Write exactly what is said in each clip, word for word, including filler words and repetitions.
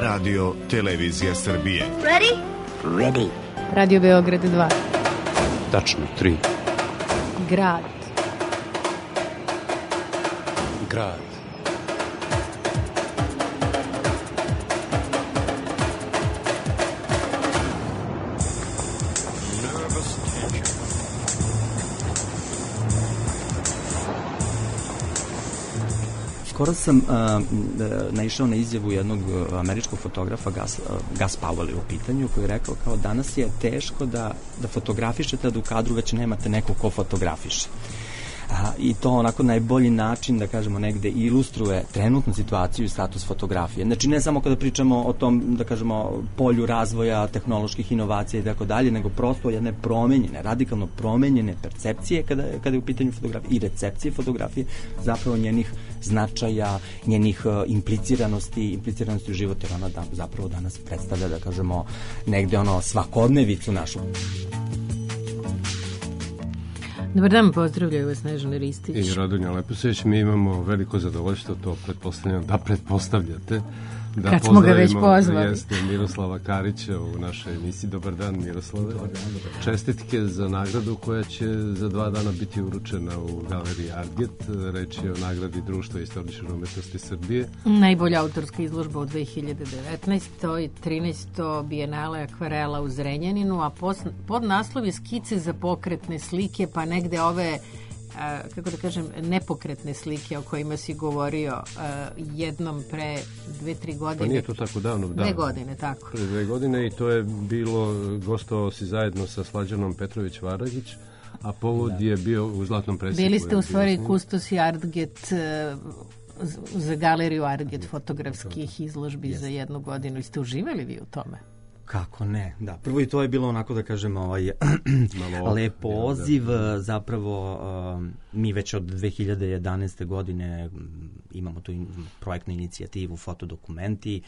Radio Televizija Srbije. Ready? Ready. Radio Beograd dva. Tačno tri. Grad. Grad. Skoro sam uh, naišao na izjavu jednog američkog fotografa, Gus, uh, Gus Powell je u pitanju, koji je rekao kao danas je teško da, da fotografišete, da u kadru već nemate neko ko fotografiše. A, I to onako najbolji način, da kažemo, negde ilustruje trenutnu situaciju i status fotografije. Znači ne samo kada pričamo o tom, da kažemo, polju razvoja, tehnoloških inovacija i tako dalje, nego prosto jedne promenjene, radikalno promenjene percepcije kada, kada je u pitanju fotografije i recepcije fotografije, zapravo njenih značaja, njenih uh, impliciranosti, impliciranosti u životu, jer ona da, zapravo danas predstavlja, da kažemo, negde ono svakodnevicu našu. Dobar dan, pozdravljaju vas Snežana Ristić i Radonja Leposeć. Mi imamo veliko zadovoljstvo, to pretpostavljam da pretpostavljate, da kad smo ga već pozvali. Jeste Miroslava Karića u našoj emisiji. Dobar dan, Miroslave. Dobar dan, dobar dan. Čestitke za nagradu koja će za dva dana biti uručena u galeriji Artget. Reč je o nagradi Društva istorijske umetnosti Srbije. Najbolja autorska izložba u dve hiljade devetnaestoj. trinaesto bijenale akvarela u Zrenjaninu, a pod naslov je skice za pokretne slike, pa negde ove A, kako da kažem, nepokretne slike o kojima si govorio a, jednom pre dve, tri godine. Pa nije to tako davno. Dve davno. godine, tako. Pre dve godine i to je bilo, gostovao si zajedno sa Slađanom Petrović-Varagić, a povod da. je bio u Zlatnom presjeku. Bili ste u stvari kustosi Artget za galeriju Artget fotografskih izložbi yes. za jednu godinu. I ste uživali vi u tome? Kako ne, da. Prvo i to je bilo onako, da kažem, ovaj, lep poziv, zapravo um, mi već od dve hiljade jedanaeste godine imamo tu in, projektnu inicijativu Fotodokumenti.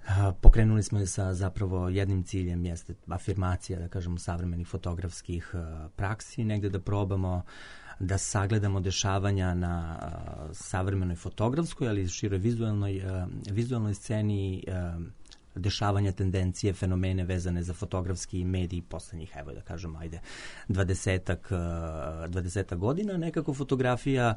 Uh, pokrenuli smo je sa zapravo jednim ciljem, jeste afirmacija, da kažemo, savremenih fotografskih uh, praksi, negde da probamo da sagledamo dešavanja na uh, savremenoj fotografskoj, ali i široj vizualnoj, uh, vizualnoj sceni, uh, dešavanja, tendencije, fenomene vezane za fotografski medij poslednjih, evo da kažem, ajde, dvadesetak, dvadesetak godina, nekako fotografija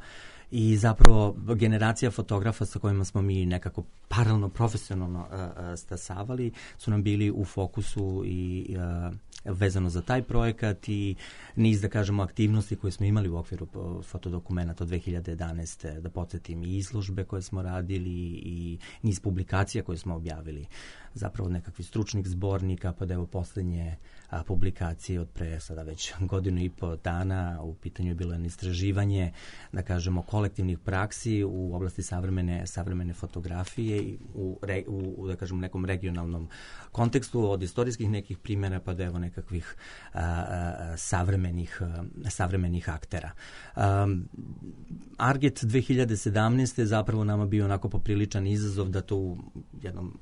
i zapravo generacija fotografa sa kojima smo mi nekako paralelno, profesionalno uh, stasavali, su nam bili u fokusu i uh, vezano za taj projekat i niz, da kažemo, aktivnosti koje smo imali u okviru fotodokumenata od dve hiljade jedanaeste. Da podsjetim, i izložbe koje smo radili i niz publikacija koje smo objavili. Zapravo od nekakvih stručnih zbornika, pa da evo poslednje a, publikacije od pre sada već godinu i po dana. U pitanju je bilo jedno istraživanje, da kažemo, kolektivnih praksi u oblasti savremene, savremene fotografije i u, re, u, da kažemo, nekom regionalnom kontekstu, od istorijskih nekih primjera pa do evo nekakvih a, a, savremenih, a, savremenih aktera. Um, Artget dve hiljade sedamnaeste je zapravo nama bio onako popriličan izazov da to u jednom,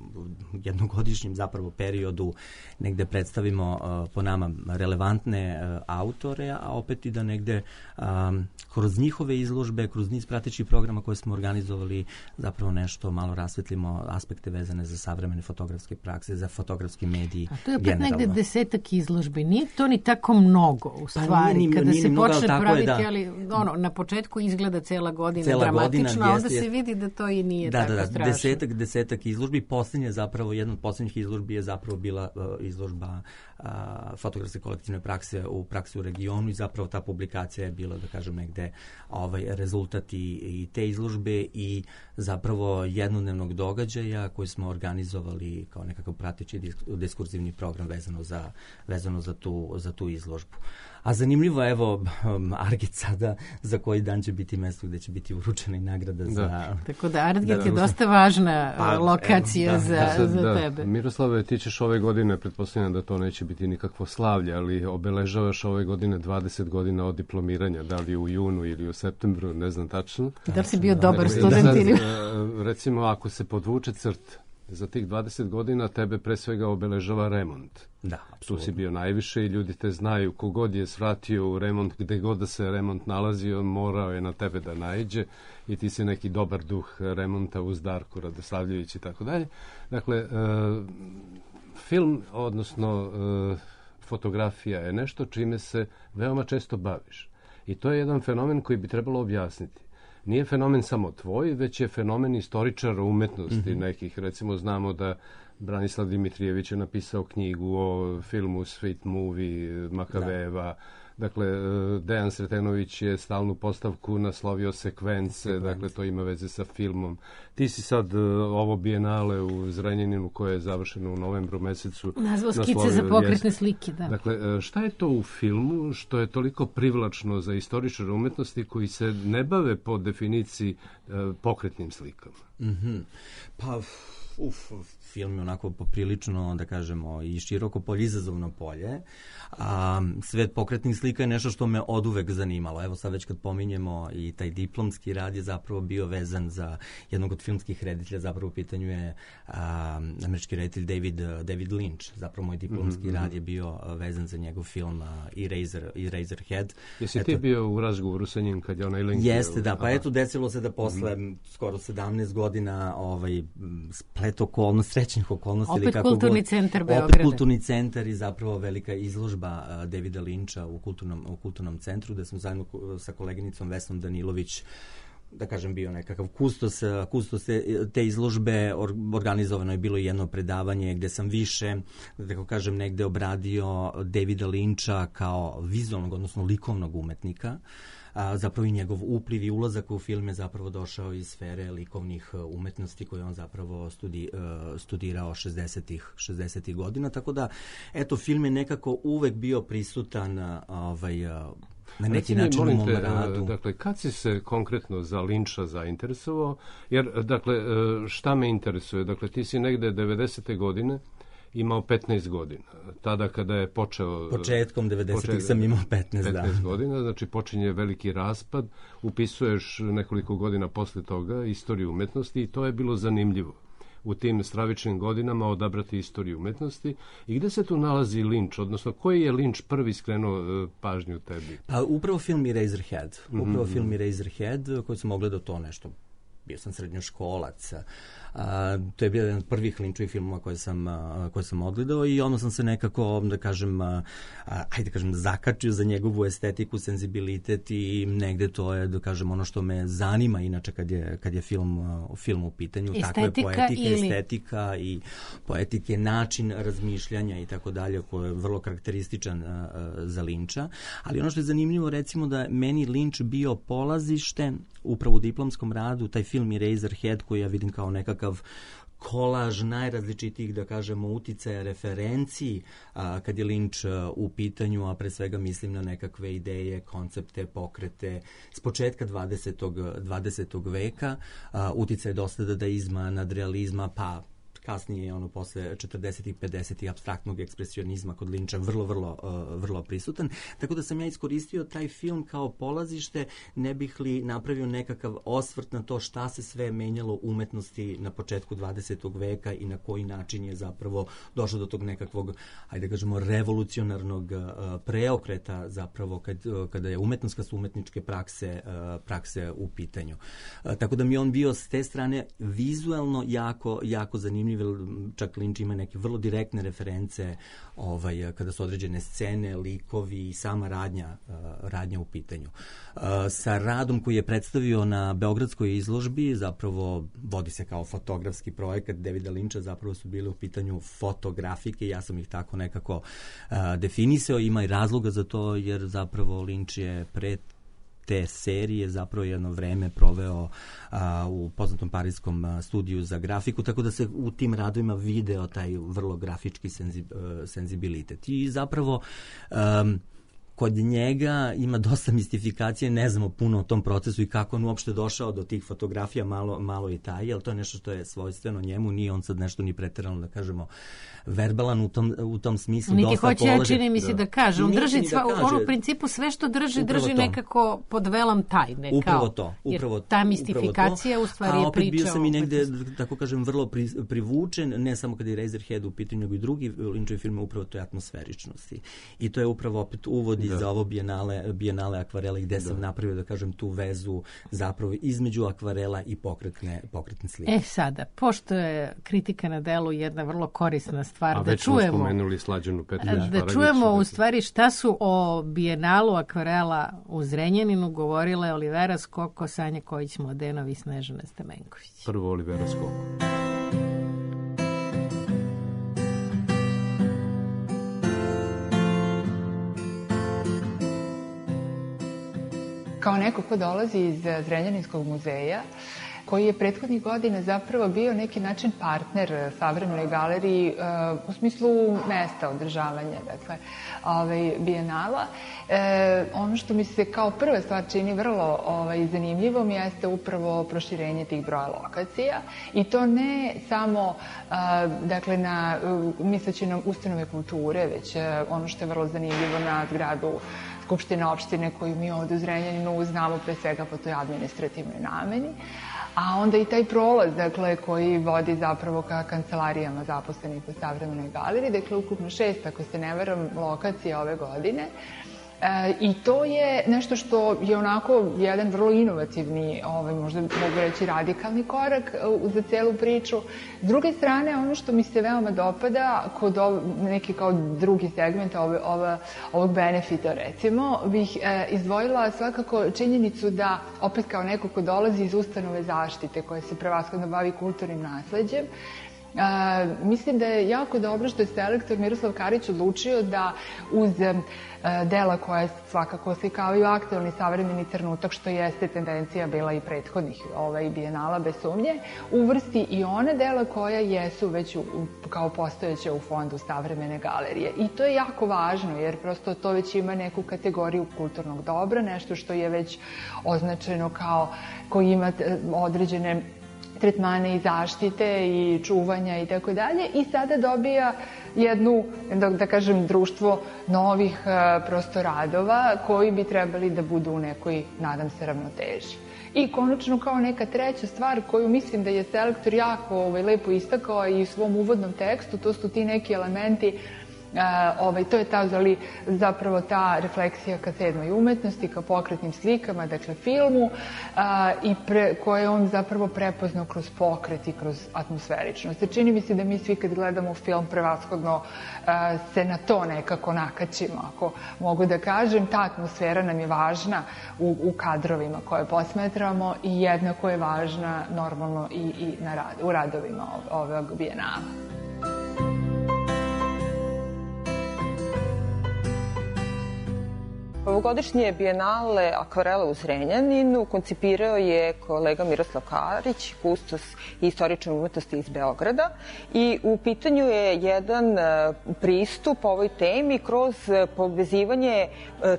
jednogodišnjem zapravo periodu negde predstavimo uh, po nama relevantne uh, autore, a opet i da negde um, kroz njihove izložbe, kroz niz pratećih programa koje smo organizovali, zapravo nešto malo rasvetlimo aspekte vezane za savremene fotografske prakse, za fotografski mediji. A to je opet generalno negde desetak izložbi. Nije to ni tako mnogo u stvari. Pa nije, nije, kada nije se mnogo, počne praviti, da. ali ono, na početku izgleda cela godina cela dramatično, godina, a onda jest, se vidi da to i nije da, tako da, da, strašno. Desetak, desetak izložbi. Posljednja zapravo, jedna od posljednjih izložbi je zapravo bila uh, izložba uh, fotografske kolektivne prakse u praksi u regionu i zapravo ta publikacija je bila, da kažem, negde ovaj, rezultat i, i te izložbe i zapravo jednodnevnog događaja koji smo organizovali kao nekakav prateći diskurzivni program vezano za, vezano za, tu, za tu izložbu. A zanimljivo, evo, um, Artget sada za koji dan će biti mesto gde će biti uručena i nagrada da. za... Tako da Artget da, da, je dosta važna pa, lokacija evo, da, za, da, za da, tebe. Miroslave, ti ćeš ove godine, pretpostavljam da to neće biti nikakvo slavlje, ali obeležavaš ove godine dvadeset godina od diplomiranja, da li u junu ili u septembru, ne znam tačno. Da li si bio dobar student ili... Recimo, ako se podvuče crt za tih dvadeset godina tebe pre svega obeležava remont. Da, apsolutno. Tu si bio najviše i ljudi te znaju, kogod je svratio u remont, gde god da se remont nalazi, on morao je na tebe da naiđe i ti si neki dobar duh remonta uz Darku Radosavljević i tako dalje. Dakle, e, film, odnosno e, fotografija je nešto čime se veoma često baviš. I to je jedan fenomen koji bi trebalo objasniti. Nije fenomen samo tvoj, već je fenomen istoričara umetnosti mm-hmm. nekih. Recimo, znamo da Branislav Dimitrijević je napisao knjigu o filmu Sweet Movie Makaveva. Da. Dakle, Dejan Sretenović je stalnu postavku naslovio sekvence, Sekvence. Dakle, to ima veze sa filmom. Ti si sad ovo bijenale u Zrenjaninu, koje je završeno u novembru mesecu. Nazvao skice za pokretne slike, da. Dakle, šta je to u filmu što je toliko privlačno za istoričare umetnosti koji se ne bave po definiciji pokretnim slikama? Mm-hmm. Pa, uf, film je onako poprilično, da kažemo, i široko polje, izazovno polje. A, svet pokretnih slika je nešto što me oduvek zanimalo. Evo sad već kad pominjemo i taj diplomski rad je zapravo bio vezan za jednog od filmskih reditelja, zapravo u pitanju je a, američki reditelj David, David Lynch. Zapravo moj diplomski mm-hmm. rad je bio vezan za njegov film Eraser, Eraserhead. Jesi eto, ti bio u razgovoru sa njim kad je onaj link? Jeste, da, pa eto desilo se da posle mm-hmm. skoro sedamnaest godina ovaj, splet okolnosti, srećnih okolnosti. Opet ili kako kulturni god, centar Beograda. Opet kulturni centar i zapravo velika izložba uh, Davida Linča u kulturnom, u kulturnom centru, gde sam zajedno sa koleginicom Vesnom Danilović, da kažem, bio nekakav kustos, kustos te, te izložbe. Organizovano je bilo jedno predavanje gde sam više, da tako kažem, negde obradio Davida Linča kao vizualnog, odnosno likovnog umetnika. A, zapravo i njegov upliv i ulazak u film je zapravo došao iz sfere likovnih umetnosti koje on zapravo studi, uh, studirao šezdesetih godina, tako da, eto, film je nekako uvek bio prisutan uh, ovaj, uh, na neki Recimo, način u mom radu. Dakle, kad si se konkretno za Linča zainteresovao? Jer, dakle, šta me interesuje? Dakle, ti si negde devedesete godine imao petnaest godina. Tada kada je počeo... Početkom devedesetih sam imao petnaest, petnaest godina, znači počinje veliki raspad, upisuješ nekoliko godina posle toga istoriju umetnosti i to je bilo zanimljivo. U tim stravičnim godinama odabrati istoriju umetnosti. I gde se tu nalazi Linč, odnosno koji je Linč prvi skrenuo uh, pažnju tebi? Pa upravo film Eraserhead. Upravo mm-hmm. film Eraserhead koji sam ogledao to nešto. Bio sam srednjoškolac. A, to je bio jedan od prvih Linčovih filmova koje sam, a, koje sam odgledao i onda sam se nekako, da kažem, a, a, ajde kažem, zakačio za njegovu estetiku, senzibilitet i negde to je, da kažem, ono što me zanima inače kad je, kad je film, a, film u pitanju. Estetika takve poetike, ili... estetika i poetike, način razmišljanja i tako dalje, koji je vrlo karakterističan a, a, za Linča. Ali ono što je zanimljivo, recimo, da meni Linč bio polazište upravo u diplomskom radu, taj film Eraserhead koji ja vidim kao nekakav kolaž najrazličitijih, da kažemo, uticaja, referenciji a, kad je Linč a, u pitanju, a pre svega mislim na nekakve ideje, koncepte, pokrete s početka dvadesetog veka, a, uticaj dosta dadaizma, nadrealizma, pa kasnije ono posle četrdesetih pedesetih apstraktnog ekspresionizma kod Linča vrlo, vrlo, uh, vrlo prisutan. Tako da sam ja iskoristio taj film kao polazište, ne bih li napravio nekakav osvrt na to šta se sve menjalo u umetnosti na početku dvadesetog veka i na koji način je zapravo došlo do tog nekakvog, ajde da kažemo, revolucionarnog uh, preokreta zapravo kad, uh, kada je umetnost, kad su umetničke prakse, uh, prakse u pitanju. Uh, tako da mi on bio s te strane vizuelno jako, jako zanimljiv. Čak Linč ima neke vrlo direktne reference ovaj, kada su određene scene, likovi i sama radnja, uh, radnja u pitanju. Uh, sa radom koji je predstavio na Beogradskoj izložbi, zapravo vodi se kao fotografski projekat Davida Linča, zapravo su bile u pitanju fotografike, ja sam ih tako nekako uh, definisao, ima i razloga za to jer zapravo Linč je pred te serije zapravo jedno vreme proveo a, u poznatom parijskom a, studiju za grafiku, tako da se u tim radovima video taj vrlo grafički senzi, a, senzibilitet. I zapravo um, kod njega ima dosta mistifikacije, ne znamo puno o tom procesu i kako on uopšte došao do tih fotografija, malo, malo i taj, ali to je nešto što je svojstveno njemu, nije on sad nešto ni preterano, da kažemo, verbalan u tom, u tom smislu. Niti hoće, ja čini mi se da kaže, on drži, sva, da kaže, on u principu sve što drži, drži to. Nekako pod velom tajne. Upravo kao, to, upravo, ta mistifikacija u stvari je priča. A opet bio sam i negde, tako kažem, vrlo pri, privučen, ne samo kada je Razorhead u pitanju, nego i drugi Lynchovi filme, upravo toj atmosferičnosti. I to je upravo opet uvod da. za ovo bijenale, bijenale akvarele, gde da. sam napravio, da kažem, tu vezu zapravo između akvarela i pokretne, pokretne slike. E sada, pošto je kritika na delu jedna vrlo korisna stvar, a da već čujemo, smo spomenuli Slađanu Petrović da čujemo u stvari šta su o bijenalu akvarela u Zrenjaninu govorile Olivera Skoko, Sanja Kojić-Mladenović i Snežana Stamenković. Prvo Olivera Skoko. Kao neko ko dolazi iz Zrenjaninskog muzeja, koji je prethodnih godina zapravo bio neki način partner savremenoj galeriji uh, u smislu mesta održavanja, dakle, ovaj, bijenala. E, ono što mi se kao prva stvar čini vrlo ovaj, zanimljivom jeste upravo proširenje tih broja lokacija i to ne samo uh, dakle, na uh, misleći na ustanove kulture, već uh, ono što je vrlo zanimljivo na zgradu Skupštine opštine koju mi ovde u Zrenjaninu znamo pre svega po toj administrativnoj nameni. A onda i taj prolaz, dakle, koji vodi zapravo ka kancelarijama zaposlenih u savremenoj galeriji, dakle, ukupno šest, ako se ne varam, lokacija ove godine. E, I to je nešto što je onako jedan vrlo inovativni, ovaj, možda mogu reći radikalni korak uh, za celu priču. S druge strane, ono što mi se veoma dopada kod ov, neki kao drugi segment ove, ove, ovog benefita, recimo, bih e, izdvojila svakako činjenicu da, opet kao neko ko dolazi iz ustanove zaštite, koja se prevashodno bavi kulturnim nasleđem, Uh, mislim da je jako dobro što je selektor Miroslav Karić odlučio da uz uh, dela koja svakako oslikavaju aktualni savremeni trenutak, što jeste tendencija bila i prethodnih ovaj, bijenala bez sumnje, uvrsti i one dela koja jesu već u, kao postojeće u fondu savremene galerije. I to je jako važno, jer prosto to već ima neku kategoriju kulturnog dobra, nešto što je već označeno kao koji ima određene tretmane i zaštite i čuvanja i tako dalje, i sada dobija jednu, da, da kažem, društvo novih uh, prosto radova koji bi trebali da budu u nekoj, nadam se, ravnoteži. I konačno kao neka treća stvar koju mislim da je selektor jako ovaj, lepo istakao i u svom uvodnom tekstu, to su ti neki elementi. Uh, ovaj, to je ta, zali, zapravo ta refleksija ka sedmoj umetnosti, ka pokretnim slikama, dakle filmu, uh, i pre, koje on zapravo prepoznao kroz pokret i kroz atmosferičnost. Čini mi se da mi svi kad gledamo film prevashodno uh, se na to nekako nakačimo, ako mogu da kažem. Ta atmosfera nam je važna u, u kadrovima koje posmetramo i jednako je važna normalno i, i na rad, u radovima ovog bijenala. Ovogodišnje bijenale akvarela u Zrenjaninu koncipirao je kolega Miroslav Karić, kustos i istoričar umetnosti iz Beograda, i u pitanju je jedan pristup ovoj temi kroz povezivanje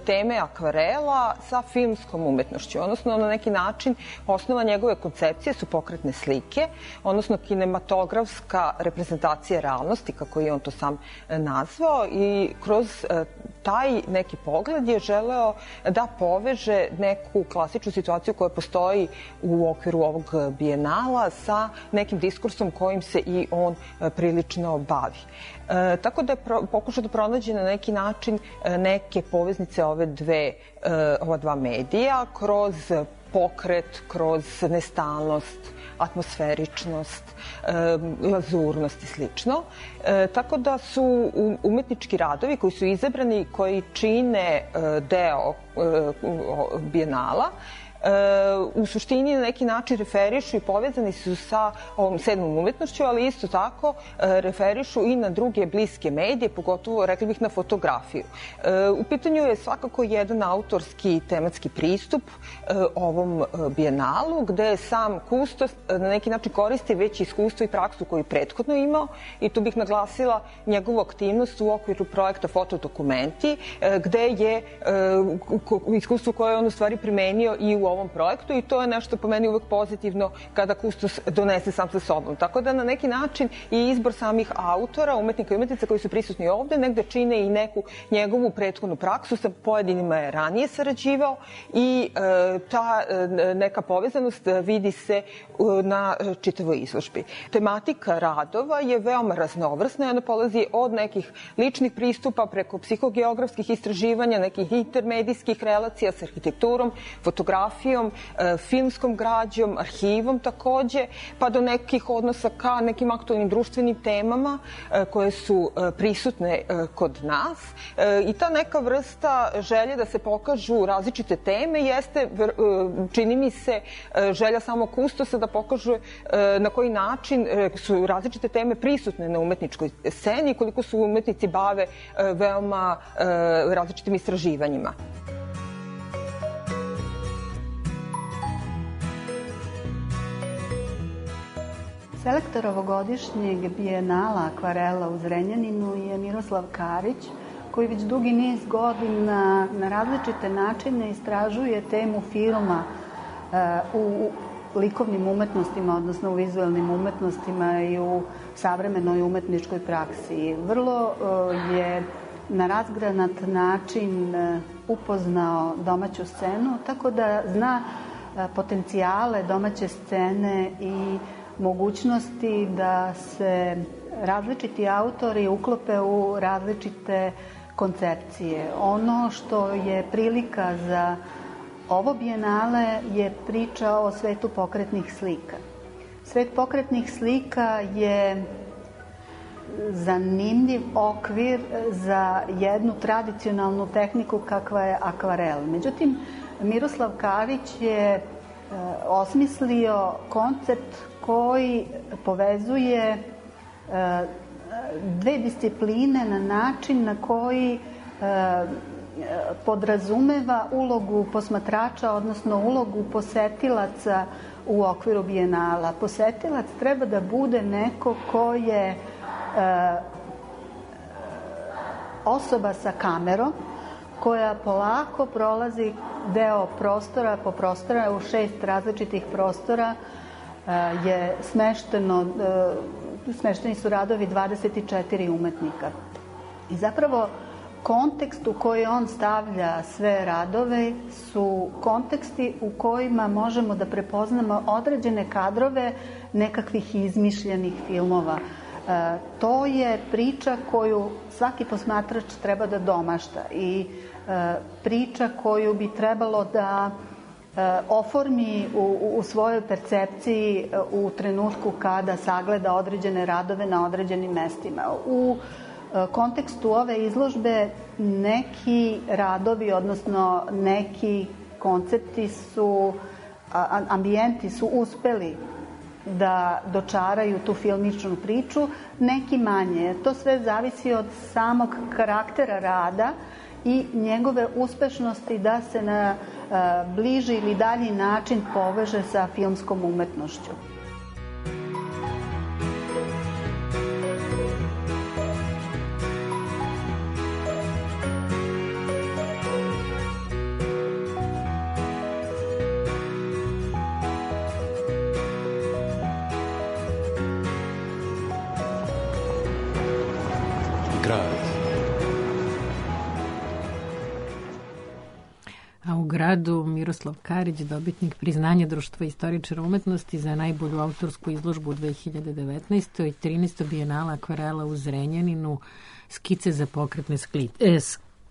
teme akvarela sa filmskom umetnošću, odnosno na neki način osnova njegove koncepcije su pokretne slike, odnosno kinematografska reprezentacija realnosti, kako je on to sam nazvao, i kroz taj neki pogled je želeo da poveže neku klasičnu situaciju koja postoji u okviru ovog bijenala sa nekim diskursom kojim se i on prilično bavi. E, tako da je pro, pokušao da pronađe na neki način neke poveznice ove dve, e, ova dva medija kroz pokret, kroz nestalnost, atmosferičnost, lazurnost i slično. E, tako da su umetnički radovi koji su izabrani, koji čine deo bijenala, u suštini na neki način referišu i povezani su sa ovom sedmom umetnošću, ali isto tako referišu i na druge bliske medije, pogotovo, rekli bih, na fotografiju. U pitanju je svakako jedan autorski tematski pristup ovom bijenalu, gde sam kustos na neki način koristi već iskustvo i praksu koju je prethodno imao i tu bih naglasila njegovu aktivnost u okviru projekta Fotodokumenti, gde je iskustvo koje je on u stvari primenio i u ovom projektu i to je nešto po meni uvek pozitivno kada kustos donese sam sa sobom. Tako da na neki način i izbor samih autora, umetnika i umetnica koji su prisutni ovde negde čine i neku njegovu prethodnu praksu, sa pojedinima je ranije sarađivao i e, ta e, neka povezanost vidi se na čitavoj izložbi. Tematika radova je veoma raznovrsna i ona polazi od nekih ličnih pristupa preko psihogeografskih istraživanja, nekih intermedijskih relacija sa arhitekturom, fotografijom, filmskom građom, arhivom takođe, pa do nekih odnosa ka nekim aktualnim društvenim temama koje su prisutne kod nas. I ta neka vrsta želje da se pokažu različite teme jeste, čini mi se, želja samog kustosa da pokažu na koji način su različite teme prisutne na umetničkoj sceni i koliko su umetnici bave veoma različitim istraživanjima. Selektor ovogodišnjeg bijenala akvarela u Zrenjaninu je Miroslav Karić, koji već dugi niz godina na različite načine istražuje temu filma u likovnim umetnostima, odnosno u vizualnim umetnostima i u savremenoj umetničkoj praksi. Vrlo je na razgranat način upoznao domaću scenu, tako da zna potencijale domaće scene i mogućnosti da se različiti autori uklope u različite koncepcije. Ono što je prilika za ovo bijenale je priča o svetu pokretnih slika. Svet pokretnih slika je zanimljiv okvir za jednu tradicionalnu tehniku kakva je akvarel. Međutim, Miroslav Karić je osmislio koncept koji povezuje dve discipline na način na koji podrazumeva ulogu posmatrača, odnosno ulogu posetilaca u okviru bijenala. Posetilac treba da bude neko ko je osoba sa kamerom, koja polako prolazi deo prostora po prostora, u šest različitih prostora je smešteno, smešteni su radovi dvadeset četiri umetnika. I zapravo kontekst u koji on stavlja sve radove su konteksti u kojima možemo da prepoznamo određene kadrove nekakvih izmišljenih filmova. E, to je priča koju svaki posmatrač treba da domašta i e, priča koju bi trebalo da e, oformi u, u svojoj percepciji e, u trenutku kada sagleda određene radove na određenim mestima. U kontekstu ove izložbe neki radovi, odnosno neki koncepti su, ambijenti su uspeli da dočaraju tu filmičnu priču, neki manje. To sve zavisi od samog karaktera rada i njegove uspešnosti da se na bliži ili dalji način poveže sa filmskom umetnošću. A u gradu Miroslav Karić, dobitnik priznanja Društva istoričara umetnosti za najbolju autorsku izložbu u dve hiljade devetnaestoj i trinaestoj bijenala akvarela u Zrenjaninu, skice za pokretne skli, e,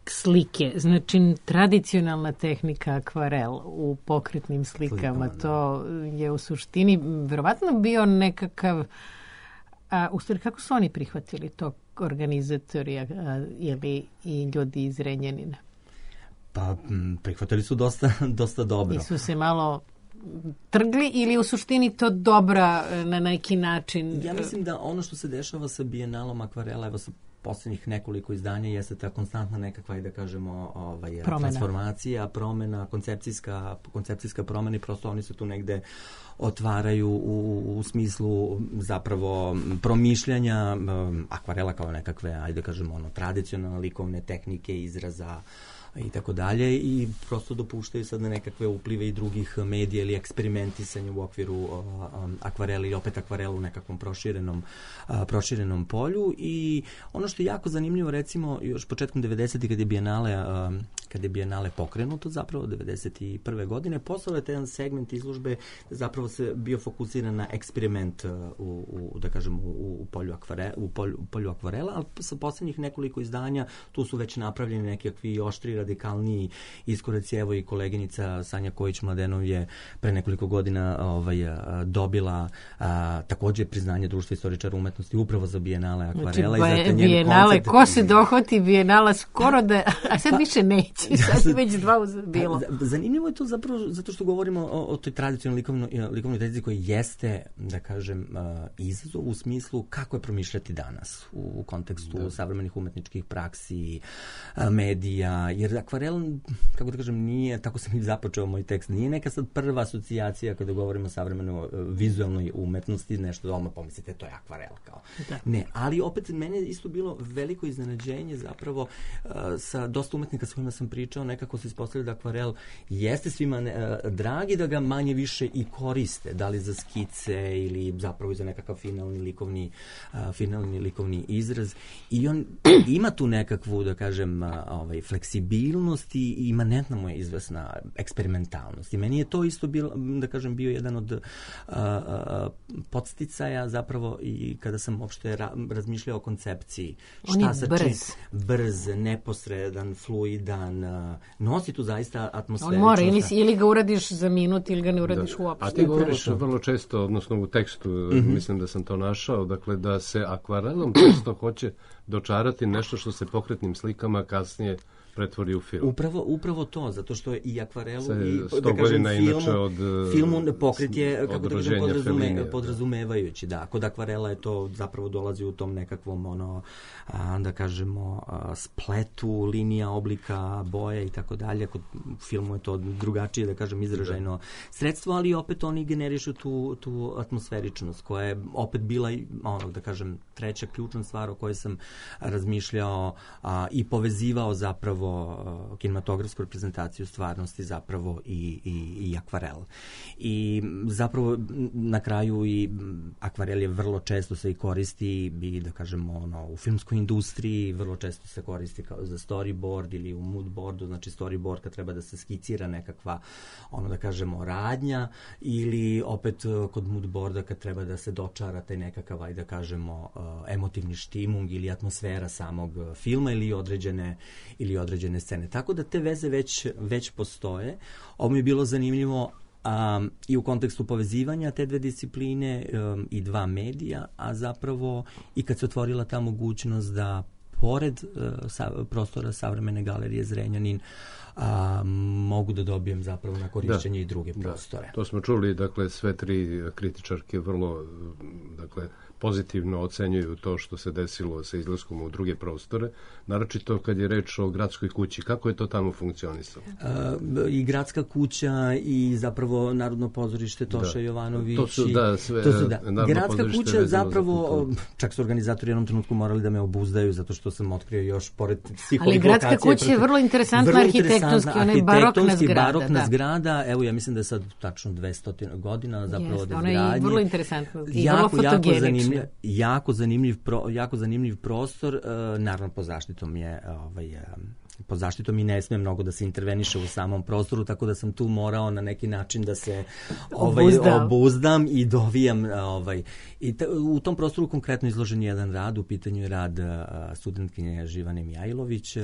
slike. Znači, tradicionalna tehnika akvarel u pokretnim slikama. To je u suštini verovatno bio nekakav... A u stvari, kako su oni prihvatili to, organizatori a, ili i ljudi iz Zrenjanina? Pa prihvatili su dosta, dosta dobro. I su se malo trgli ili u suštini to dobra na neki način? Ja mislim da ono što se dešava sa Bijenalom akvarela, evo sa posljednjih nekoliko izdanja, jeste ta konstantna nekakva, da kažemo, ovaj, transformacija, promena, koncepcijska, koncepcijska promena i prosto oni se tu negde otvaraju u, u smislu zapravo promišljanja um, akvarela kao nekakve, ajde kažemo, ono, tradicionalne likovne tehnike, izraza i tako dalje, i prosto dopuštaju sad na nekakve uplive i drugih medija ili eksperimentisanje u okviru uh, um, akvarela ili opet akvarela u nekakvom proširenom, uh, proširenom polju. I ono što je jako zanimljivo, recimo, još početkom devedesetih kad je Bijenale, uh, kad je Bijenale pokrenuto, zapravo devedeset prve godine, postao je jedan segment izložbe zapravo se bio fokusiran na eksperiment uh, u, u, da kažem, u, u, polju akvare, u, polju, u polju akvarela, ali sa posljednjih nekoliko izdanja tu su već napravljeni nekakvi oštri, radikalniji iskoraci. Evo i koleginica Sanja Kojić-Mladenov je pre nekoliko godina ovaj, dobila a, takođe priznanje Društva istoričara umetnosti upravo za Bijenale akvarela. Znači, i zato Bijenale, koncept... ko se dohvati Bijenala skoro da, a sad više neće, sad je već dva bilo. Zanimljivo je to zapravo zato što govorimo o, o toj tradicionalnoj likovnoj, likovnoj tradiciji koja jeste, da kažem, izazov u smislu kako je promišljati danas u, u kontekstu da. savremenih umetničkih praksi, medija, jer akvarel, kako da kažem, nije, tako sam i započeo moj tekst, nije neka sad prva asocijacija kada govorimo o savremenoj vizualnoj umetnosti, nešto doma pomislite, to je akvarel kao. Da. Ne, ali opet mene isto bilo veliko iznenađenje zapravo uh, sa dosta umetnika s kojima sam pričao, nekako se ispostavlja da akvarel jeste svima ne, uh, dragi, da ga manje više i koriste, da li za skice ili zapravo za nekakav finalni likovni, uh, finalni likovni izraz, i on ima tu nekakvu, da kažem, uh, ovaj, fleksibilnost i imanentna mu je izvesna eksperimentalnost. I meni je to isto bilo, da kažem, bio jedan od uh, uh, podsticaja zapravo i kada sam uopšte ra- razmišljao o koncepciji. On Šta je sa brz. Čim, brz, neposredan, fluidan, uh, nosi tu zaista atmosferu. On mora, ili, ili ga uradiš za minut, ili ga ne uradiš da. uopšte. A ti govoriš vrlo često, odnosno u tekstu, mm-hmm. mislim da sam to našao, dakle da se akvarelom često hoće dočarati nešto što se pokretnim slikama kasnije pretvori u film. Upravo, upravo to, zato što je i akvarelu Se, i, da kažem, filmu, od, filmu pokret je, kako da kažem, podrazume, podrazumevajući, da. Kod akvarela je to zapravo dolazi u tom nekakvom, ono, a, da kažemo, a, spletu, linija, oblika, boje i tako dalje. Kod filmu je to drugačije, da kažem, izražajno da. sredstvo, ali opet oni generišu tu, tu atmosferičnost, koja je opet bila, ono, da kažem, treća ključna stvar o kojoj sam razmišljao a, i povezivao zapravo kinematografsku reprezentaciju stvarnosti zapravo i, i, i akvarel. I zapravo na kraju i akvarel je vrlo često se i koristi i, da kažemo, ono, u filmskoj industriji vrlo često se koristi kao za storyboard ili u moodboardu, znači storyboard kad treba da se skicira nekakva, ono, da kažemo, radnja, ili opet kod moodboarda kad treba da se dočara taj nekakav, ajde da kažemo, emotivni štimung ili atmosfera samog filma ili određene ili određene scene. Tako da te veze već, već postoje. Ovo mi je bilo zanimljivo um, i u kontekstu povezivanja te dve discipline um, i dva medija, a zapravo i kad se otvorila ta mogućnost da pored uh, sa, prostora Savremene galerije Zrenjanin a, mogu da dobijem zapravo na korišćenje da, i druge prostore. Da. To smo čuli, dakle, sve tri kritičarke vrlo, dakle, pozitivno ocenjuju to što se desilo sa izlaskom u druge prostore, naročito kad je reč o gradskoj kući. Kako je to tamo funkcionisalo? Uh, I gradska kuća i zapravo Narodno pozorište Toša da. Jovanović. To su, da, sve, to su, da. Gradska kuća zapravo, za čak su organizatori jednom trenutku morali da me obuzdaju zato što sam otkrio još pored svih ovih lokacija. Ali gradska kuća je vrlo interesantna vrlo arhitektonski, ona je barokna zgrada. barokna da. zgrada, evo ja mislim da je sad tačno dvesta godina zapravo od izgradnje. Ona je vrlo interesantna i jako, vrlo fotogenična. Jako zanimljiv, pro, jako zanimljiv prostor, uh, naravno pod zaštitom je ovaj, uh, pod zaštitom i ne smije mnogo da se interveniše u samom prostoru, tako da sam tu morao na neki način da se ovaj, obuzdam. obuzdam i dovijam. Ovaj, i t- u tom prostoru konkretno izložen jedan rad, u pitanju je rad uh, studentkinje Živane Mijajlović, uh,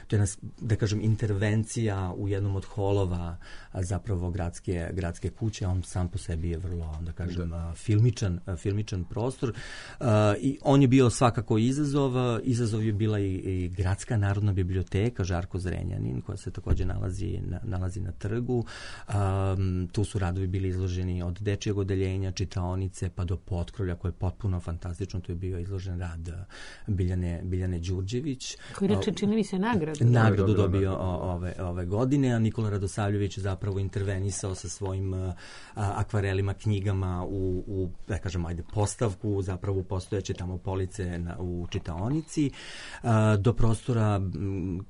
to je, nas, da kažem, intervencija u jednom od holova uh, zapravo gradske, gradske kuće, on sam po sebi je vrlo, da kažem, uh, filmičan, uh, filmičan prostor uh, i on je bio svakako izazov, uh, izazov je bila i, i Gradska narodna biblioteka, biblioteka Žarko Zrenjanin, koja se takođe nalazi na, nalazi na trgu. Um, tu su radovi bili izloženi od dečijeg odeljenja, čitaonice, pa do potkrovlja, koje je potpuno fantastično. Tu je bio izložen rad Biljane, Biljane Đurđević. Koji reče, čini mi se, nagradu. Nagradu dobio ove, ove godine, a Nikola Radosavljević zapravo intervenisao sa svojim a, akvarelima, knjigama u, u, da kažem, ajde, postavku, zapravo postojeće tamo police na, u čitaonici, a, do prostora,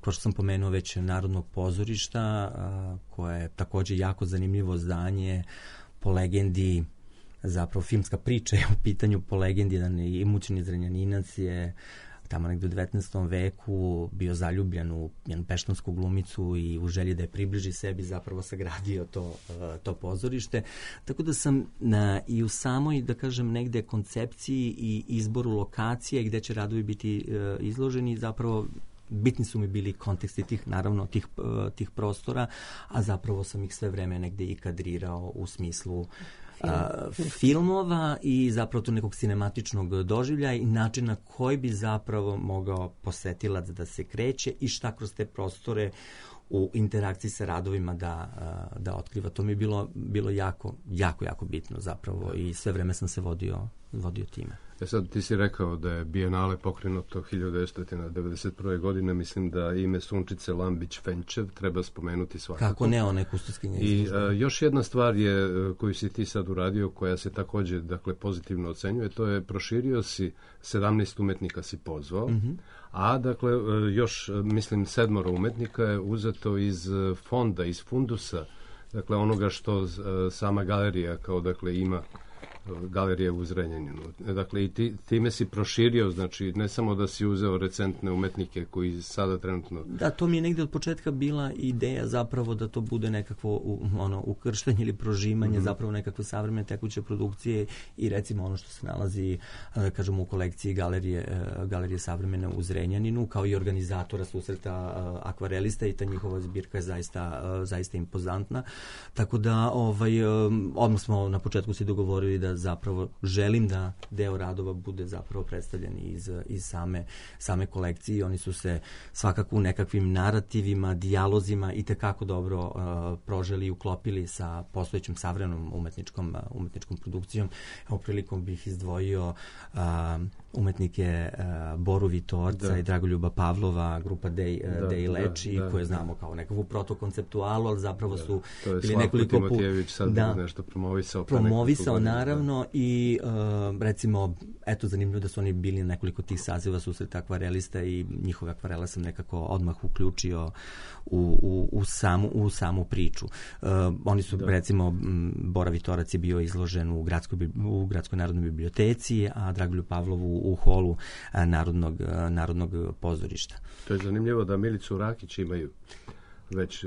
kao što sam pomenuo već, Narodnog pozorišta, a, koje je takođe jako zanimljivo zdanje, po legendi, zapravo filmska priča je u pitanju, po legendi, jedan imućni Zrenjaninac je tamo negde u devetnaestom veku bio zaljubljen u jednu peštonsku glumicu i u želji da je približi sebi zapravo sagradio to, to pozorište. Tako da sam na, i u samoj, da kažem, negde koncepciji i izboru lokacije gde će radovi biti uh, izloženi, zapravo bitni su mi bili konteksti tih, naravno, tih, uh, tih prostora, a zapravo sam ih sve vreme negde i kadrirao u smislu A, filmova i zapravo tu nekog sinematičnog doživljaja i načina koji bi zapravo mogao posetilac da se kreće i šta kroz te prostore u interakciji sa radovima da, da otkriva. To mi je bilo, bilo jako, jako, jako bitno zapravo i sve vreme sam se vodio, vodio time. E sad, ti si rekao da je Bijenale pokrenuto hiljadu devetsto devedeset prve. godine, mislim da ime Sunčice Lambić-Fenčev treba spomenuti svakako. Kako ne, ona je kustoskinja izložba. I a, još jedna stvar je koju si ti sad uradio, koja se takođe, dakle, pozitivno ocenjuje, to je proširio si, sedamnaest umetnika si pozvao, mm-hmm. a dakle, još, mislim, sedmoro umetnika je uzeto iz fonda, iz fundusa, dakle, onoga što sama galerija kao, dakle, ima, galerije u Zrenjaninu. Dakle, i ti, time si proširio, znači, ne samo da si uzeo recentne umetnike koji sada trenutno... Da, to mi je negde od početka bila ideja zapravo da to bude nekakvo u, ono, ukrštenje ili prožimanje, mm-hmm. zapravo nekakve savremene tekuće produkcije i recimo ono što se nalazi, da kažemo, u kolekciji galerije, galerije savremene u Zrenjaninu, kao i organizatora susreta akvarelista, i ta njihova zbirka je zaista, zaista impozantna. Tako da, ovaj, odmah smo na početku si dogovorili da zapravo želim da deo radova bude zapravo predstavljen iz, iz same, same kolekcije. Oni su se svakako u nekakvim narativima, dijalozima i tekako dobro uh, proželi i uklopili sa postojećom savremenom umetničkom, uh, umetničkom produkcijom. Evo, prilikom bih izdvojio uh, umetnike uh, Boru Vitorca da. i Dragoljuba Pavlova, grupa Dej, uh, da, Dej Leči, da, da, koje znamo kao nekakvu protokonceptualu, ali zapravo da, su bili nekoliko... To je Slavko Timotijević sad da, nešto promovisao. Promovisao, naravno, i uh, recimo, eto, zanimljivo da su oni bili nekoliko tih saziva susreta akvarelista i njihove akvarela sam nekako odmah uključio u, u, u, samu, u samu priču. Uh, oni su, da. recimo, Bora Vitorac je bio izložen u Gradskoj, u Gradskoj narodnoj biblioteci, a Dragoljub Pavlovu u holu uh, Narodnog, uh, Narodnog pozorišta. To je zanimljivo da Milicu Rakić imaju već,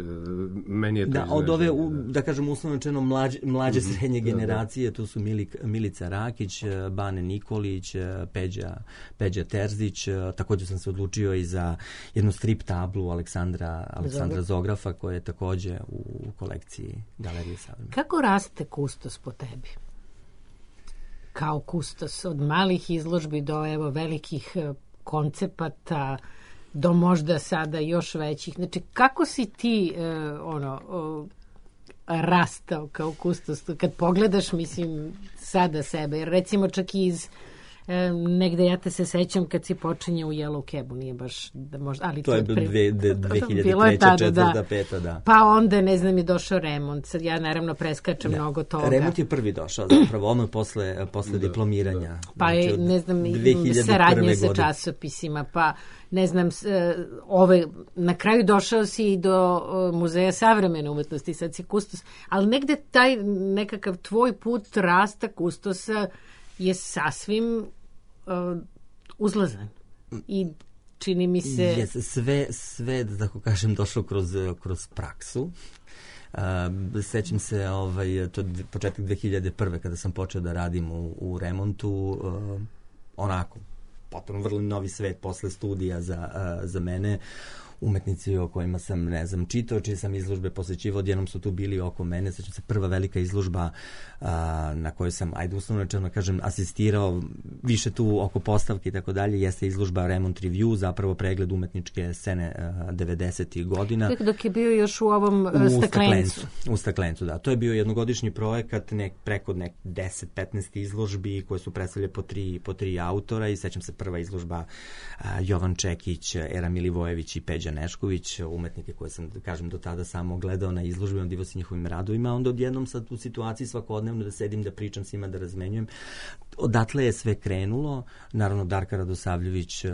meni je to da, od ove, u, da kažem, uslovno rečeno mlađe, mlađe mm-hmm. srednje generacije, tu su Milik, Milica Rakić, Bane Nikolić, Peđa, Peđa Terzić, također sam se odlučio i za jednu strip tablu Aleksandra, Aleksandra Zografa, koja je također u kolekciji Galerije savremene. Kako raste kustos po tebi? Kao kustos, od malih izložbi do evo velikih koncepata, do možda sada još većih. Znači, kako si ti uh, ono uh, rastao kao kustos? Kad pogledaš, mislim, sada sebe, jer recimo čak i iz um, negde ja te se sećam kad si počinje u Yellow Cabu, nije baš da možda, ali to je bilo pre... dve hiljade treće, četvrta, peta, da. Pa onda, ne znam, je došao remont. Sad ja naravno preskačem da. mnogo toga. Remont je prvi došao, zapravo, ono posle, posle da, diplomiranja. Da. Pa je, znači, ne znam, saradnja sa časopisima, pa ne znam, ove, na kraju došao si i do Muzeja savremene umetnosti, sad si kustos, ali negde taj nekakav tvoj put rasta kustosa je sasvim uh, uzlazan. I čini mi se... Yes, sve, sve, da tako kažem, došlo kroz, kroz praksu. Uh, sećam se, ovaj, to početak dve hiljade prve kada sam počeo da radim u, u remontu, uh, onako, potpuno vrlo novi svet posle studija za, uh, za mene. umetnici o kojima sam, ne znam, čitao, čiji sam izložbe posjećivao, odjednom su tu bili oko mene. Sećam se prva velika izložba a, na kojoj sam, ajde uslovno rečeno kažem, asistirao više tu oko postavke i tako dalje, jeste izložba Remont Review, zapravo pregled umetničke scene devedesetih godina. Dok je bio još u ovom uh, u staklencu. U staklencu, da. To je bio jednogodišnji projekat, nek, preko nek deset petnaest izložbi koje su predstavljene po tri, po tri autora i sećam se prva izložba uh, Jovan Čekić, Era Milivojević i Peđa Nešković, umetnike koje sam, kažem, do tada samo gledao na izložbi, divo se njihovim radovima, onda odjednom sad u situaciji svakodnevno da sedim, da pričam s njima, da razmenjujem. Odatle je sve krenulo, naravno Darka Radosavljević, uh,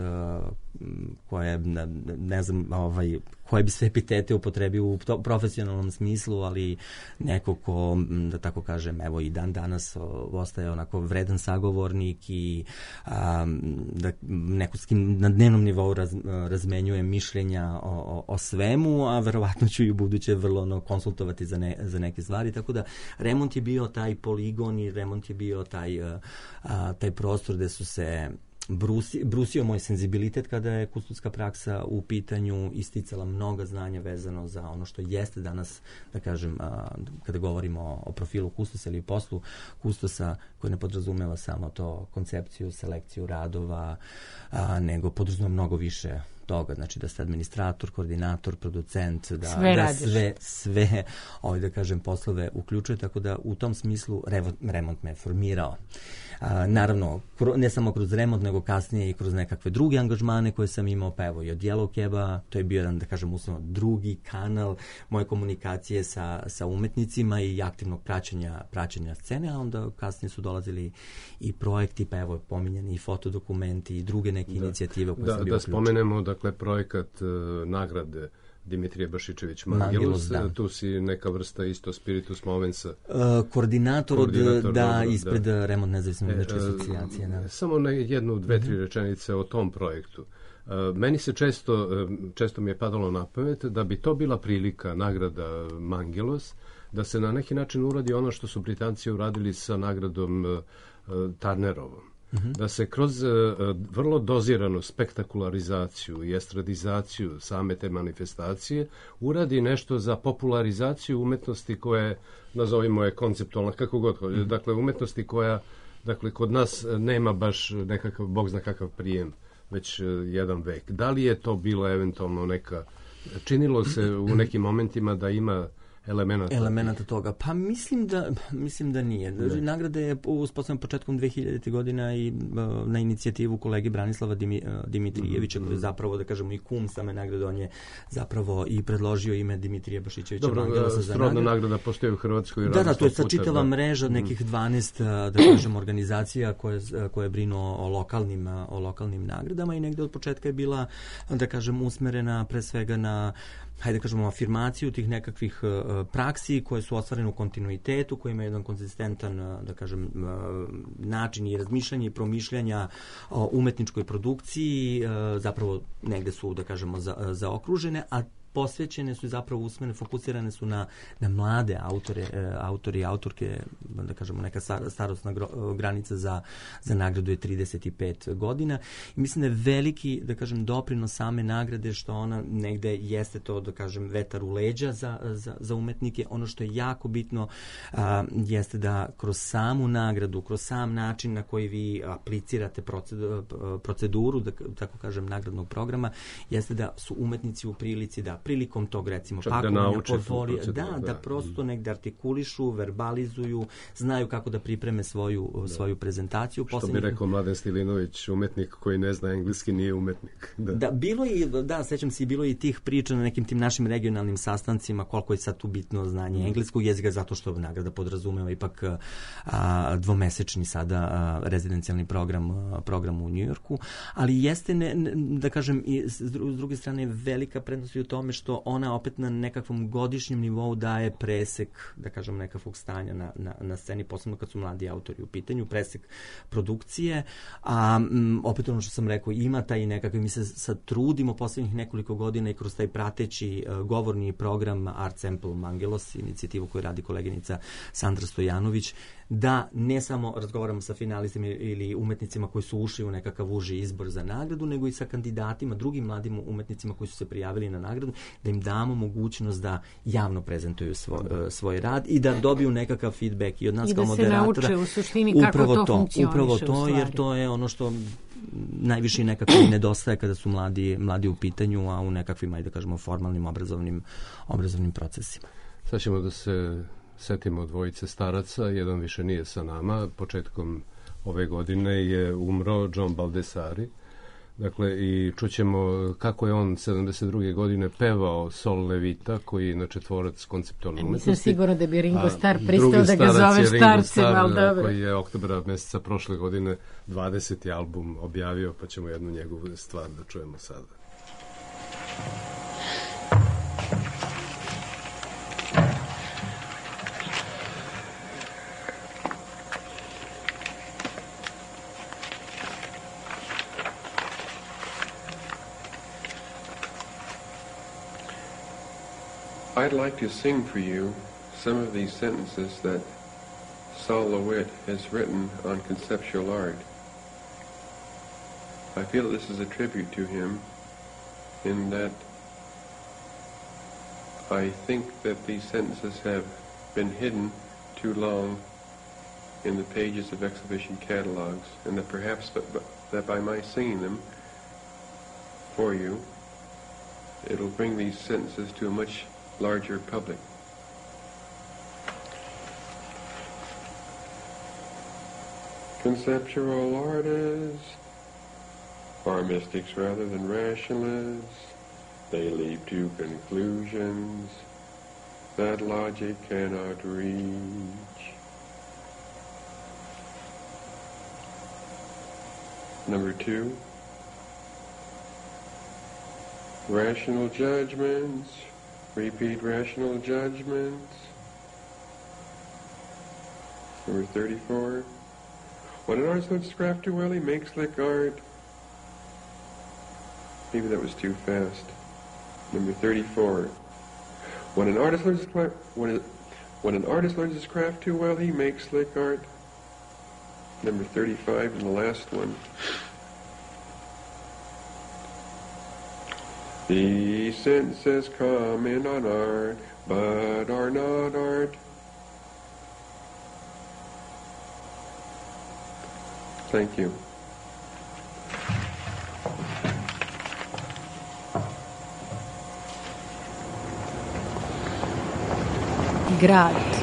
koja je, ne, ne znam, ovaj, koje bi sve epitete upotrebio u to, profesionalnom smislu, ali neko ko, da tako kažem, evo i dan danas o, ostaje onako vredan sagovornik i a, da neko s kim na dnevnom nivou raz, razmenjuje mišljenja o, o, o svemu, a verovatno ću i u buduće vrlo ono, konsultovati za, ne, za neke stvari, tako da Remont je bio taj poligon i Remont je bio taj, a, a, taj prostor gde su se Brusi, brusio moj senzibilitet kada je kustodska praksa u pitanju, isticala mnoga znanja vezano za ono što jeste danas, da kažem, a, kada govorimo o, o profilu kustosa ili poslu kustosa, koji ne podrazumeva samo to koncepciju, selekciju radova, a, nego podrazumeva mnogo više toga, znači da ste administrator, koordinator, producent, da sve, da sve, sve ovaj, da kažem, poslove uključuje, tako da u tom smislu revo, Remont me formirao. A, naravno, ne samo kroz Remont, nego kasnije i kroz nekakve druge angažmane koje sam imao, pa evo i od Yellow Caba, to je bio jedan, da kažem, uslovno drugi kanal moje komunikacije sa, sa umetnicima i aktivnog praćenja, praćenja scene, a onda kasnije su dolazili i projekti, pa evo pominjeni i fotodokumenti i druge neke da. inicijative koje da, sam bio da uključen. Spomenemo, dakle, projekat uh, nagrade Dimitrije Bašičević Mangelos, da. Tu si neka vrsta isto spiritus movensa. Uh, koordinator, koordinator od, da, dobro, ispred da. Remont nezavisne umetničke asocijacije. Da. Samo na jednu, dve, tri rečenice o tom projektu. Uh, meni se često, uh, često mi je padalo na pamet da bi to bila prilika, nagrada Mangelos, da se na neki način uradi ono što su Britanci uradili sa nagradom uh, Turnerovom. Uh-huh. Da se kroz uh, vrlo doziranu spektakularizaciju i estradizaciju same te manifestacije uradi nešto za popularizaciju umetnosti koja je, nazovimo je konceptualna, kako god, uh-huh. dakle umetnosti koja, dakle, kod nas nema baš nekakav, bog zna kakav prijem, već uh, jedan vek. Da li je to bila eventualno neka, činilo se u nekim momentima da ima elemenata. Elemenata toga. Pa mislim da, mislim da nije. Ne. Nagrada je uspostavljena početkom dve hiljadite godina i uh, na inicijativu kolege Branislava Dimi, uh, Dimitrijevića, mm-hmm. koji je zapravo, da kažemo, i kum same nagrade. On je zapravo i predložio ime Dimitrija Bašićevića Mangelosa za nagradu. Dobro, nagrada postoji u Hrvatskoj. Da, da, to je sad čitava mreža nekih dvanaest, da kažem, organizacija koje, koje brinu o lokalnim, o lokalnim nagradama i negde od početka je bila, da kažem, usmerena pre svega na, hajde kažemo, afirmaciju tih nekakvih uh, praksi koje su ostvarene u kontinuitetu, koje imaju jedan konzistentan, uh, da kažem, uh, način i razmišljanja i promišljanja o umetničkoj produkciji, uh, zapravo negde su, da kažemo, za, zaokružene, a posvećene su i zapravo usmene, fokusirane su na, na mlade autore, e, autori i autorke, da kažemo, neka starosna gro, granica za, za nagradu je trideset pet godina. I mislim da je veliki, da kažem, doprinos same nagrade što ona negde jeste to, da kažem, vetar u leđa za, za, za umetnike. Ono što je jako bitno a, jeste da kroz samu nagradu, kroz sam način na koji vi aplicirate proceduru, proceduru da tako kažem, nagradnog programa, jeste da su umetnici u prilici da prilikom tog, recimo, pakovanja portfolija, da, da, da prosto negde artikulišu, verbalizuju, znaju kako da pripreme svoju, da. svoju prezentaciju. Što Poslednji... bi rekao Mladen Stilinović, umetnik koji ne zna engleski nije umetnik. Da, da bilo i, da, sećam se i bilo i tih priča na nekim tim našim regionalnim sastancima, koliko je sad tu bitno znanje mm. engleskog jezika, zato što nagrada podrazumeva ipak a, dvomesečni sada a, rezidencijalni program, a, program u Njujorku, ali jeste, ne, ne, da kažem, i s, s druge strane velika prednost u tome što ona opet na nekakvom godišnjem nivou daje presek, da kažem, nekakvog stanja na, na, na sceni, posebno kad su mladi autori u pitanju, presek produkcije, a m, opet ono što sam rekao, ima taj nekakav, mi se sad trudimo poslednjih nekoliko godina i kroz taj prateći uh, govorni program Art Sample Mangelos, inicijativu koju radi koleginica Sandra Stojanović, da ne samo razgovaramo sa finalistima ili umetnicima koji su ušli u nekakav uži izbor za nagradu, nego i sa kandidatima, drugim mladim umetnicima koji su se prijavili na nagradu, da im damo mogućnost da javno prezentuju svoj, svoj rad i da dobiju nekakav feedback i od nas I kao da moderatora. I da se nauče u suštini kako upravo to, to funkcioniše upravo to, jer to je ono što najviše nekako i nedostaje kada su mladi, mladi u pitanju, a u nekakvim, ajde da kažemo, formalnim obrazovnim, obrazovnim procesima. Sad ćemo da se setimo dvojice staraca, jedan više nije sa nama, početkom ove godine je umro John Baldessari. Dakle, i čućemo kako je on sedamdeset druge godine pevao Sol Levita, koji je inače tvorac konceptualne umetnosti. Mislim sigurno da bi Ringo Starr pristao da ga zove starcem, ali dobro. Koji je oktobra meseca prošle godine dvadeseti album objavio, pa ćemo jednu njegovu stvar da čujemo sada. I'd like to sing for you some of these sentences that Sol LeWitt has written on conceptual art. I feel this is a tribute to him in that I think that these sentences have been hidden too long in the pages of exhibition catalogs, and that perhaps but, but, that by my singing them for you, it'll bring these sentences to a much larger public. Conceptual artists are mystics rather than rationalists. They leap to conclusions that logic cannot reach. Number two, rational judgments repeat rational judgments. Number thirty-four. When an artist looks craft too well, he makes slick art. Maybe that was too fast. Number thirty-four. When an artist learns his craft, when, it, when an artist learns his craft too well, he makes slick art. Number thirty-five, and the last one. These sentences comment on art, but are not art. Thank you. Grad.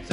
Say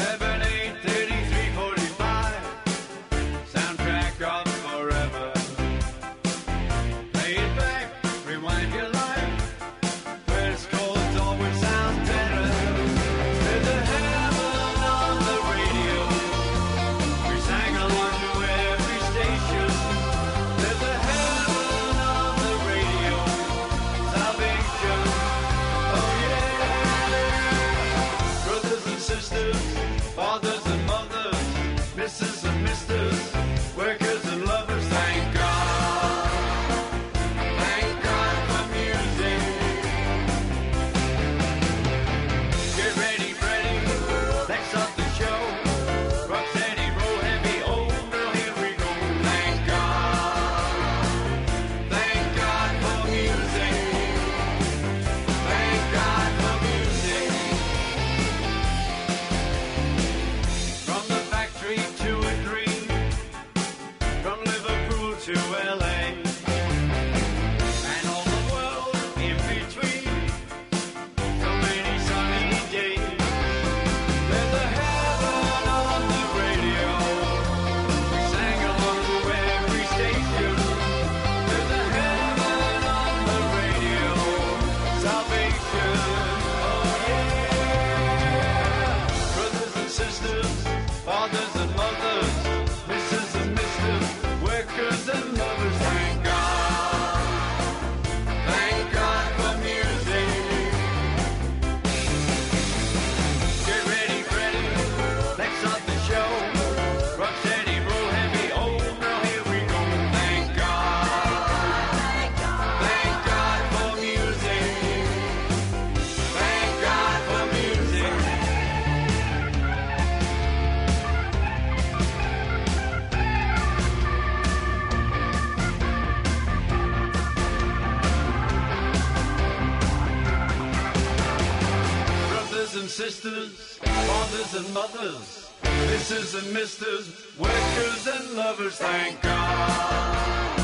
sisters, fathers and mothers, missus and misters, workers and lovers, thank God.